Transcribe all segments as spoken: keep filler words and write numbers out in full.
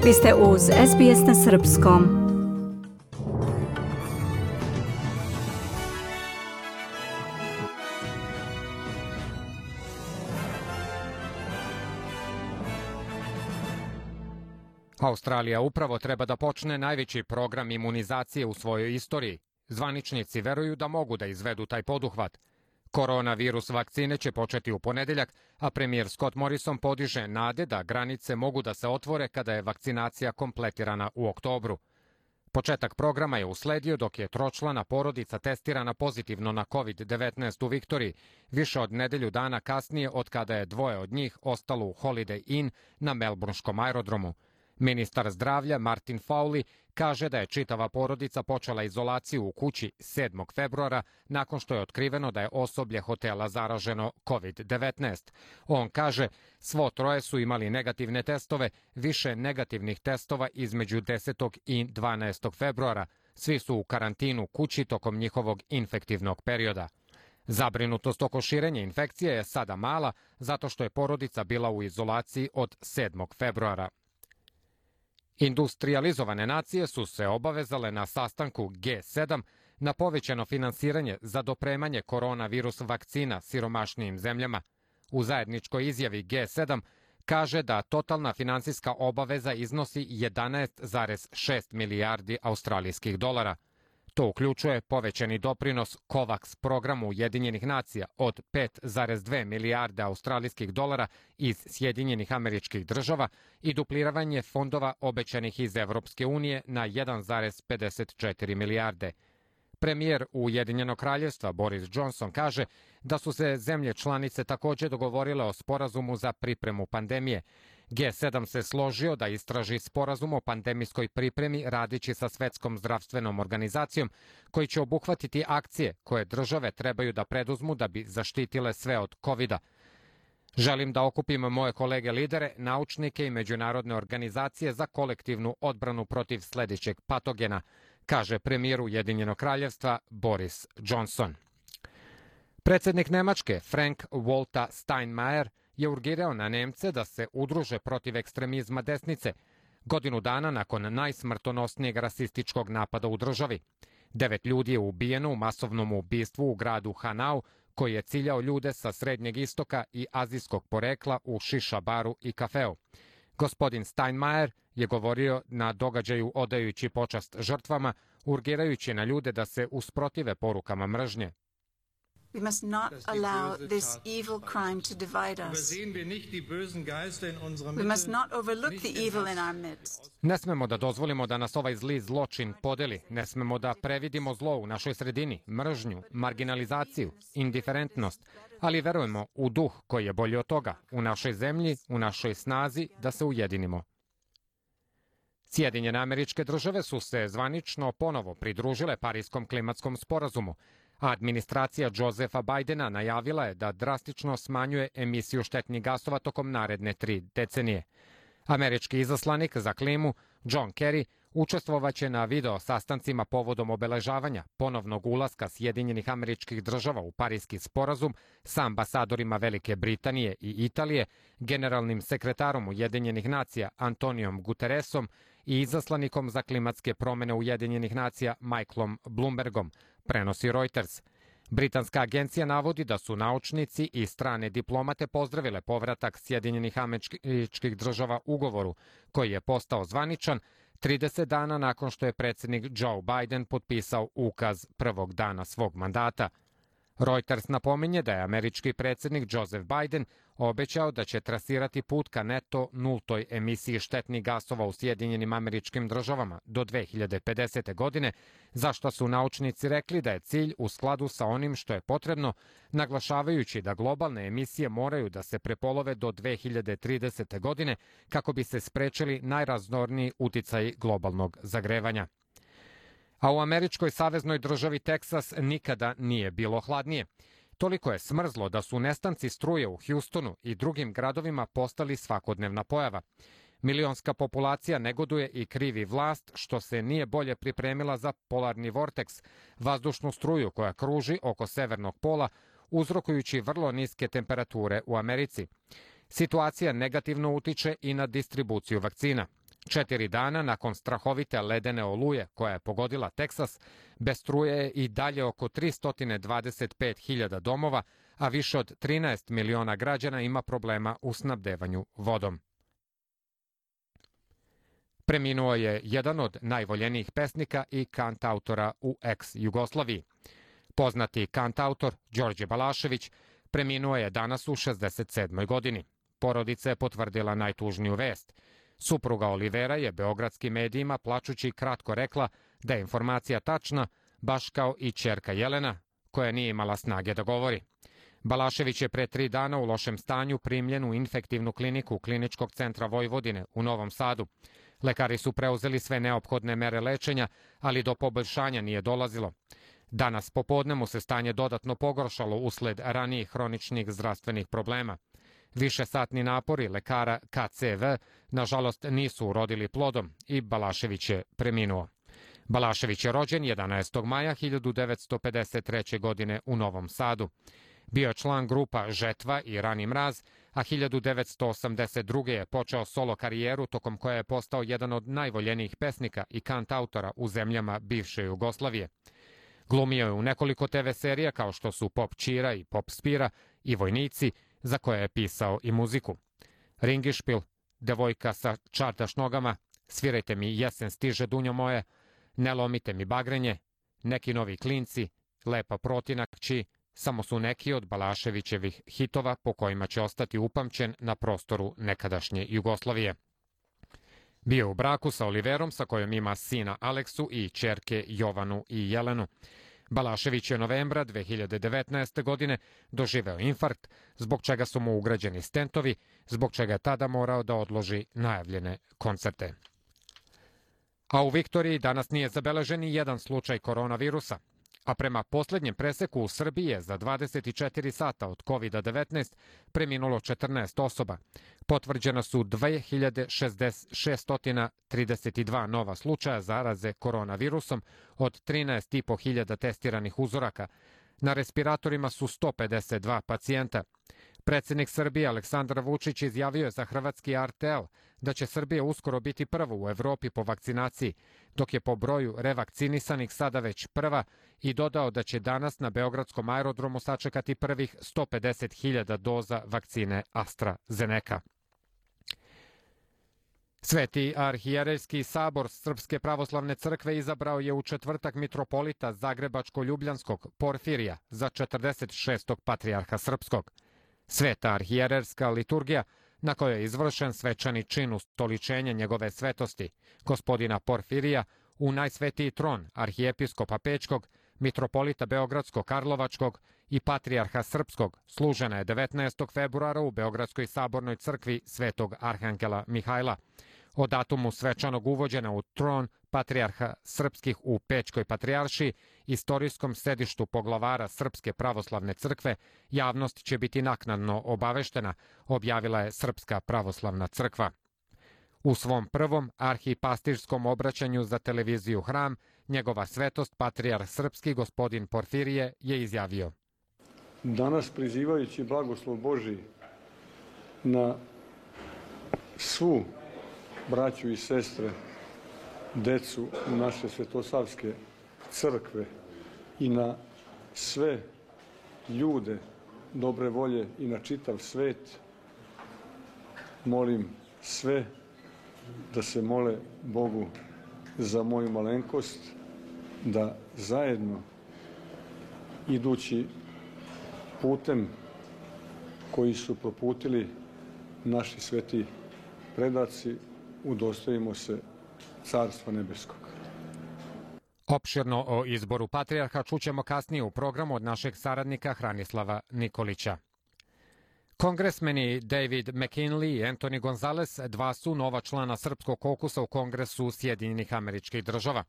Vi ste uz S B S na srpskom. Australija upravo treba da počne najveći program imunizacije u svojoj istoriji. Zvaničnici veruju da mogu da izvedu taj poduhvat. Koronavirus vakcine će početi u ponedeljak, a premijer Scott Morrison podiže nade da granice mogu da se otvore kada je vakcinacija kompletirana u oktobru. Početak programa je usledio dok je tročlana porodica testirana pozitivno na kovid devetnaest u Viktoriji, više od nedelju dana kasnije od kada je dvoje od njih ostalo u Holiday Inn na Melbourneškom aerodromu. Ministar zdravlja Martin Fowley kaže da je čitava porodica počela izolaciju u kući sedmog februara nakon što je otkriveno da je osoblje hotela zaraženo kovid devetnaest. On kaže, svo troje su imali negativne testove, više negativnih testova između desetog i dvanaestog februara. Svi su u karantinu kući tokom njihovog infektivnog perioda. Zabrinutost oko širenja infekcije je sada mala zato što je porodica bila u izolaciji od sedmog februara. Industrializovane nacije su se obavezale na sastanku G sedam na povećano finansiranje za dopremanje koronavirus vakcina siromašnijim zemljama. U zajedničkoj izjavi G sedam kaže da totalna finansijska obaveza iznosi jedanaest zarez šest milijardi australijskih dolara. To uključuje povećani doprinos COVAX programu Ujedinjenih nacija od pet zarez dve milijarde australijskih dolara iz Sjedinjenih Američkih Država i dupliranje fondova obećanih iz Evropske unije na jedan zarez pedeset četiri milijarde. Premijer Ujedinjenog kraljevstva Boris Johnson kaže da su se zemlje članice također dogovorile o sporazumu za pripremu pandemije. G sedam se složio da istraži sporazum o pandemijskoj pripremi radići sa Svetskom zdravstvenom organizacijom, koji će obuhvatiti akcije koje države trebaju da preduzmu da bi zaštitile sve od kovida. Želim da okupim moje kolege lidere, naučnike i međunarodne organizacije za kolektivnu odbranu protiv sljedećeg patogena, kaže premijer Ujedinjenog kraljevstva Boris Johnson. Predsjednik Nemačke Frank Walter Steinmeier je urgirao na Nemce da se udruže protiv ekstremizma desnice, godinu dana nakon najsmrtonosnijeg rasističkog napada u državi. Devet ljudi je ubijeno u masovnom ubistvu u gradu Hanau, koji je ciljao ljude sa Srednjeg istoka i azijskog porekla u šiša baru i kafeu. Gospodin Steinmeier je govorio na događaju odajući počast žrtvama, urgirajući na ljude da se usprotive porukama mržnje. We must not allow this evil crime to divide us. We must not overlook the evil in our midst. Ne smemo da dozvolimo da nas ovaj zli zločin podeli. Ne smemo da previdimo zlo u našoj sredini, mržnju, marginalizaciju, indiferentnost, ali verujemo u duh koji je bolji od toga, u našoj zemlji, u našoj snazi da se ujedinimo. Sjedinjene Američke Države su se zvanično ponovo pridružile Parijskom klimatskom sporazumu. Administracija Josepha Bidena najavila je da drastično smanjuje emisiju štetnih gasova tokom naredne tri decenije. Američki izaslanik za klimu John Kerry učestvovaće na video sastancima povodom obeležavanja ponovnog ulaska Sjedinjenih Američkih Država u Parijski sporazum sa ambasadorima Velike Britanije i Italije, generalnim sekretarom Ujedinjenih nacija Antonijom Guterresom i izaslanikom za klimatske promjene Ujedinjenih nacija Michaelom Bloombergom, prenosi Reuters. Britanska agencija navodi da su naučnici i strane diplomate pozdravile povratak Sjedinjenih Američkih Država ugovoru, koji je postao zvaničan trideset dana nakon što je predsjednik Joe Biden potpisao ukaz prvog dana svog mandata. Reuters napominje da je američki predsjednik Joseph Biden obećao da će trasirati put ka neto nultoj emisiji štetnih gasova u Sjedinjenim Američkim Državama do dve hiljade pedesete. godine, za što su naučnici rekli da je cilj u skladu sa onim što je potrebno, naglašavajući da globalne emisije moraju da se prepolove do dve hiljade tridesete. godine kako bi se sprečili najrazorniji uticaji globalnog zagrevanja. A u američkoj saveznoj državi Teksas nikada nije bilo hladnije. Toliko je smrzlo da su nestanci struje u Houstonu i drugim gradovima postali svakodnevna pojava. Milionska populacija negoduje i krivi vlast što se nije bolje pripremila za polarni vorteks, vazdušnu struju koja kruži oko severnog pola, uzrokujući vrlo niske temperature u Americi. Situacija negativno utiče i na distribuciju vakcina. Četiri dana nakon strahovite ledene oluje koja je pogodila Teksas, bez struje je i dalje oko tristo dvadeset pet hiljada domova, a više od trinaest miliona građana ima problema u snabdevanju vodom. Preminuo je jedan od najvoljenijih pesnika i kantautora u ex-Jugoslaviji. Poznati kantautor Đorđe Balašević preminuo je danas u šezdeset sedmoj godini. Porodica je potvrdila najtužniju vest. Supruga Olivera je beogradskim medijima plačući kratko rekla da je informacija tačna, baš kao i ćerka Jelena, koja nije imala snage da govori. Balašević je pre tri dana u lošem stanju primljen u infektivnu kliniku Kliničkog centra Vojvodine u Novom Sadu. Lekari su preuzeli sve neophodne mere lečenja, ali do poboljšanja nije dolazilo. Danas popodne mu se stanje dodatno pogoršalo usled ranijih hroničnih zdravstvenih problema. Višesatni napori lekara K C V nažalost nisu urodili plodom i Balašević je preminuo. Balašević je rođen jedanaestog maja hiljadu devetsto pedeset treće. godine u Novom Sadu. Bio je član grupa Žetva i Rani mraz, a hiljadu devetsto osamdeset druge. je počeo solo karijeru tokom koje je postao jedan od najvoljenijih pesnika i kantautora u zemljama bivše Jugoslavije. Glumio je u nekoliko te ve serija kao što su Pop Čira i Pop Spira i Vojnici, za koje je pisao i muziku. Ringišpil, Devojka sa čardaš nogama, Svirajte mi jesen stiže dunjo moje, Ne lomite mi bagrenje, Neki novi klinci, Lepa protinakći, samo su neki od Balaševićevih hitova po kojima će ostati upamćen na prostoru nekadašnje Jugoslavije. Bio u braku sa Oliverom, sa kojom ima sina Aleksu i ćerke Jovanu i Jelenu. Balašević je novembra dve hiljade devetnaeste. godine doživeo infarkt, zbog čega su mu ugrađeni stentovi, zbog čega je tada morao da odloži najavljene koncerte. A u Viktoriji danas nije zabeležen ni jedan slučaj koronavirusa, a prema poslednjem preseku u Srbiji je za dvadeset četiri sata od kovida devetnaest preminulo četrnaest osoba. Potvrđena su dve hiljade šesto trideset dva nova slučaja zaraze koronavirusom od trinaest i po hiljada testiranih uzoraka. Na respiratorima su sto pedeset dva pacijenta. Predsednik Srbije Aleksandar Vučić izjavio je za hrvatski R T L da će Srbija uskoro biti prva u Evropi po vakcinaciji, dok je po broju revakcinisanih sada već prva, i dodao da će danas na beogradskom aerodromu sačekati prvih sto pedeset hiljada doza vakcine AstraZeneca. Sveti arhijerejski sabor Srpske pravoslavne crkve izabrao je u četvrtak mitropolita Zagrebačko-Ljubljanskog Porfirija za četrdeset šestog patrijarha srpskog. Sveta arhijererska liturgija, na kojoj je izvršen svečani čin ustoličenja njegove svetosti, gospodina Porfirija, u najsvetiji tron arhijepiskopa Pećkog, mitropolita Beogradsko-Karlovačkog i patrijarha srpskog, služena je devetnaestog februara u Beogradskoj sabornoj crkvi Svetog Arhangela Mihajla. O datumu svečanog uvođenja u tron patrijarha srpskih u Pećkoj patrijaršiji, istorijskom sedištu poglavara Srpske pravoslavne crkve, javnost će biti naknadno obaveštena, objavila je Srpska pravoslavna crkva. U svom prvom arhipastirskom obraćanju za televiziju Hram, njegova svetost, patrijarh srpski gospodin Porfirije, je izjavio: Danas, prizivajući blagoslov Božiji na svu braću i sestre, decu naše Svetosavske crkve i na sve ljude dobre volje i na čitav svet, molim sve da se mole Bogu za moju malenkost, da zajedno, idući putem koji su proputili naši sveti predaci, udostojimo se Carstva nebeskog. Opširno o izboru patrijarha čućemo kasnije u programu od našeg saradnika Hranislava Nikolića. Kongresmeni David McKinley i Anthony Gonzalez dva su nova člana srpskog kokusa u Kongresu Sjedinjenih Američkih Država.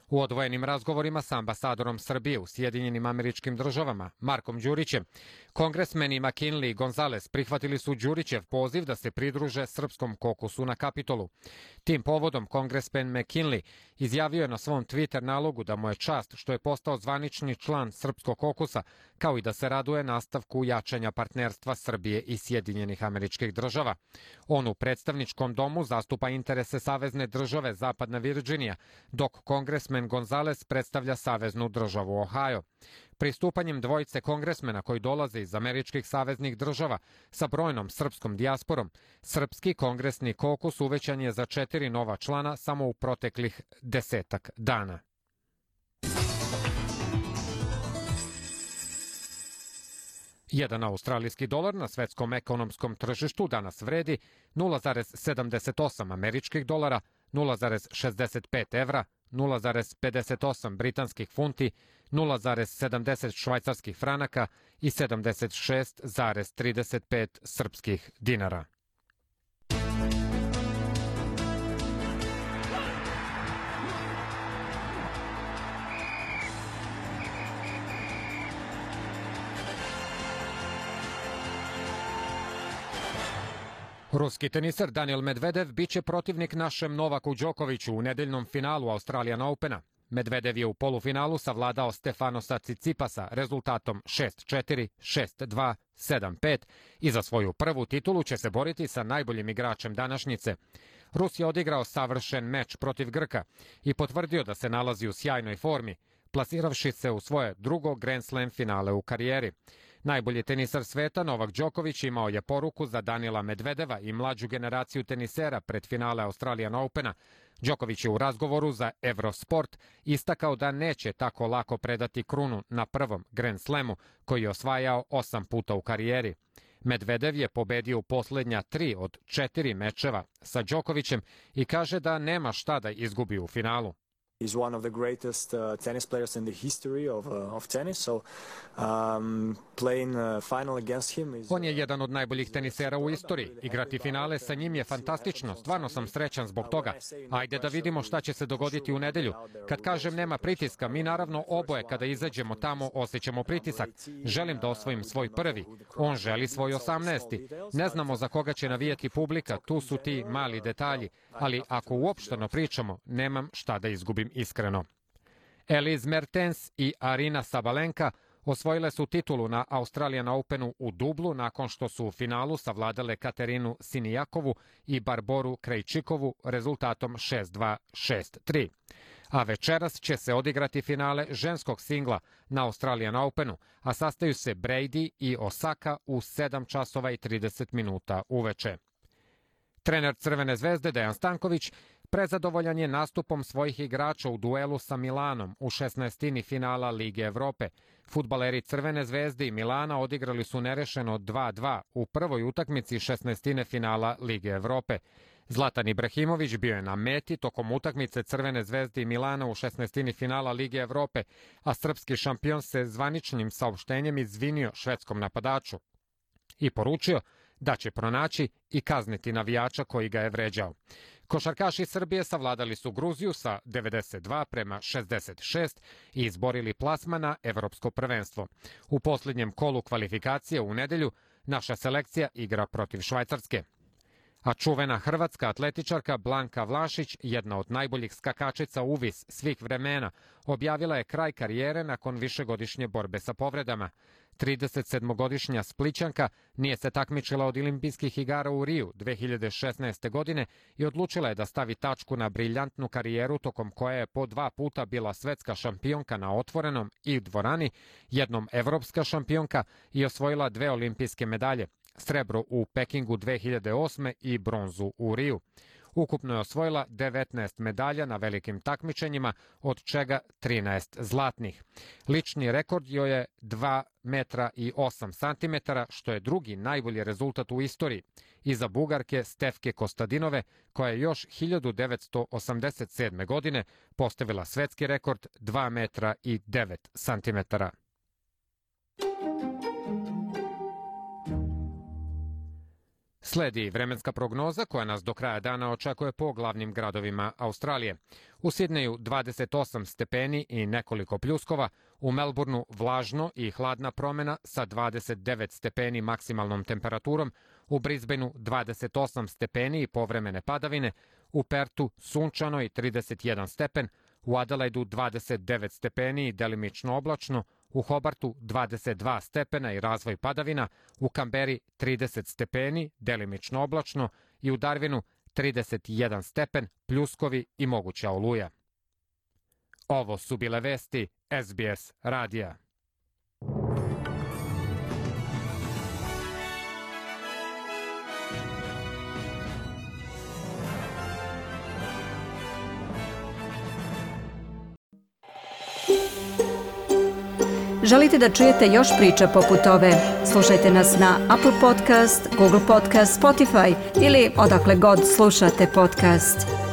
U odvojenim razgovorima sa ambasadorom Srbije u Sjedinjenim Američkim Državama, Markom Đurićem, kongresmeni McKinley i Gonzales prihvatili su Đurićev poziv da se pridruže srpskom kokusu na Kapitolu. Tim povodom kongresmen McKinley izjavio je na svom Twitter nalogu da mu je čast što je postao zvanični član srpskog kokusa, kao i da se raduje nastavku jačanja partnerstva Srbije i Sjedinjenih Američkih Država. On u predstavničkom domu zastupa interese savezne države Zapadna Virdžinija, dok kongresmen Gonzales predstavlja saveznu državu Ohio. Pristupanjem dvojice kongresmena koji dolaze iz američkih saveznih država sa brojnom srpskom dijasporom, srpski kongresni kokus uvećan je za četiri nova člana samo u proteklih desetak dana. Jedan australijski dolar na svetskom ekonomskom tržištu danas vredi nula zarez sedamdeset osam američkih dolara, nula zarez šezdeset pet evra, nula zarez pedeset osam britanskih funti, nula zarez sedamdeset švajcarskih franaka i sedamdeset šest zarez trideset pet srpskih dinara. Ruski teniser Daniil Medvedev biće protivnik našem Novaku Đokoviću u nedeljnom finalu Australian Opena. Medvedev je u polufinalu savladao Stefanosa Cicipasa rezultatom šest četiri, šest dva, sedam pet i za svoju prvu titulu će se boriti sa najboljim igračem današnjice. Rus je odigrao savršen meč protiv Grka i potvrdio da se nalazi u sjajnoj formi, plasiravši se u svoje drugo Grand Slam finale u karijeri. Najbolji tenisar sveta Novak Đoković imao je poruku za Daniila Medvedeva i mlađu generaciju tenisera pred finale Australian Opena. Đoković je u razgovoru za Eurosport istakao da neće tako lako predati krunu na prvom Grand Slamu koji je osvajao osam puta u karijeri. Medvedev je pobedio u poslednja tri od četiri mečeva sa Đokovićem i kaže da nema šta da izgubi u finalu. He's one of the greatest uh, tennis players in the history of, uh, of tennis, so um, playing uh, final against him is... On je jedan od najboljih tenisera u istoriji. Igrati finale sa njim je fantastično. Stvarno sam srećan zbog toga. Ajde da vidimo šta će se dogoditi u nedelju. Kad kažem nema pritiska, mi naravno oboje kada izađemo tamo osjećamo pritisak. Želim da osvojim svoj prvi. On želi svoj osamnaesti. Ne znamo za koga će navijati publika, tu su ti mali detalji. Ali ako uopšteno pričamo, nemam šta da izgubim iskreno. Elise Mertens i Arina Sabalenka osvojile su titulu na Australian Openu u dublu nakon što su u finalu savladale Katerinu Sinijakovu i Barboru Krejčikovu rezultatom šest dva, šest tri. A večeras će se odigrati finale ženskog singla na Australian Openu, a sastaju se Brady i Osaka u sedam časova i trideset minuta uveče. Trener Crvene zvezde Dejan Stanković prezadovoljan je nastupom svojih igrača u duelu sa Milanom u šesnaestini finala Lige Evrope. Fudbaleri Crvene zvezde i Milana odigrali su nerešeno dva dva u prvoj utakmici šesnaestine finala Lige Evrope. Zlatan Ibrahimović bio je na meti tokom utakmice Crvene zvezde i Milana u šesnaestini finala Lige Evrope, a srpski šampion se zvaničnim saopštenjem izvinio švedskom napadaču i poručio da će pronaći i kazniti navijača koji ga je vređao. Košarkaši Srbije savladali su Gruziju sa devedeset dva prema šezdeset šest i izborili plasman na Evropsko prvenstvo. U posljednjem kolu kvalifikacije u nedelju naša selekcija igra protiv Švajcarske. A čuvena hrvatska atletičarka Blanka Vlašić, jedna od najboljih skakačica uvis svih vremena, objavila je kraj karijere nakon višegodišnje borbe sa povredama. tridesetsedmogodišnja Splićanka nije se takmičila od olimpijskih igara u Riju dve hiljade šesnaeste. godine i odlučila je da stavi tačku na briljantnu karijeru tokom koje je po dva puta bila svetska šampionka na otvorenom i dvorani, jednom evropska šampionka i osvojila dve olimpijske medalje, srebro u Pekingu dve hiljade osme. i bronzu u Riju. Ukupno je osvojila devetnaest medalja na velikim takmičenjima, od čega trinaest zlatnih. Lični rekord joj je dva metra i osam santimetara, što je drugi najbolji rezultat u istoriji, iza Bugarke Stefke Kostadinove, koja je još hiljadu devetsto osamdeset sedme. godine postavila svetski rekord dva metra i devet santimetara. Sledi vremenska prognoza koja nas do kraja dana očekuje po glavnim gradovima Australije. U Sidneju dvadeset osam stepeni i nekoliko pljuskova, u Melbourneu vlažno i hladna promena sa dvadeset devet stepeni maksimalnom temperaturom, u Brisbaneu dvadeset osam stepeni i povremene padavine, u Pertu sunčano i trideset jedan stepen, u Adelaidu dvadeset devet stepeni i delimično oblačno, u Hobartu dvadeset dva stepena i razvoj padavina, u Kamberi trideset stepeni, delimično oblačno i u Darwinu trideset jedan stepen, pljuskovi i moguća oluja. Ovo su bile vesti S B S radija. Želite da čujete još priča poput ove? Slušajte nas na Apple Podcast, Google Podcast, Spotify ili odakle god slušate podcast.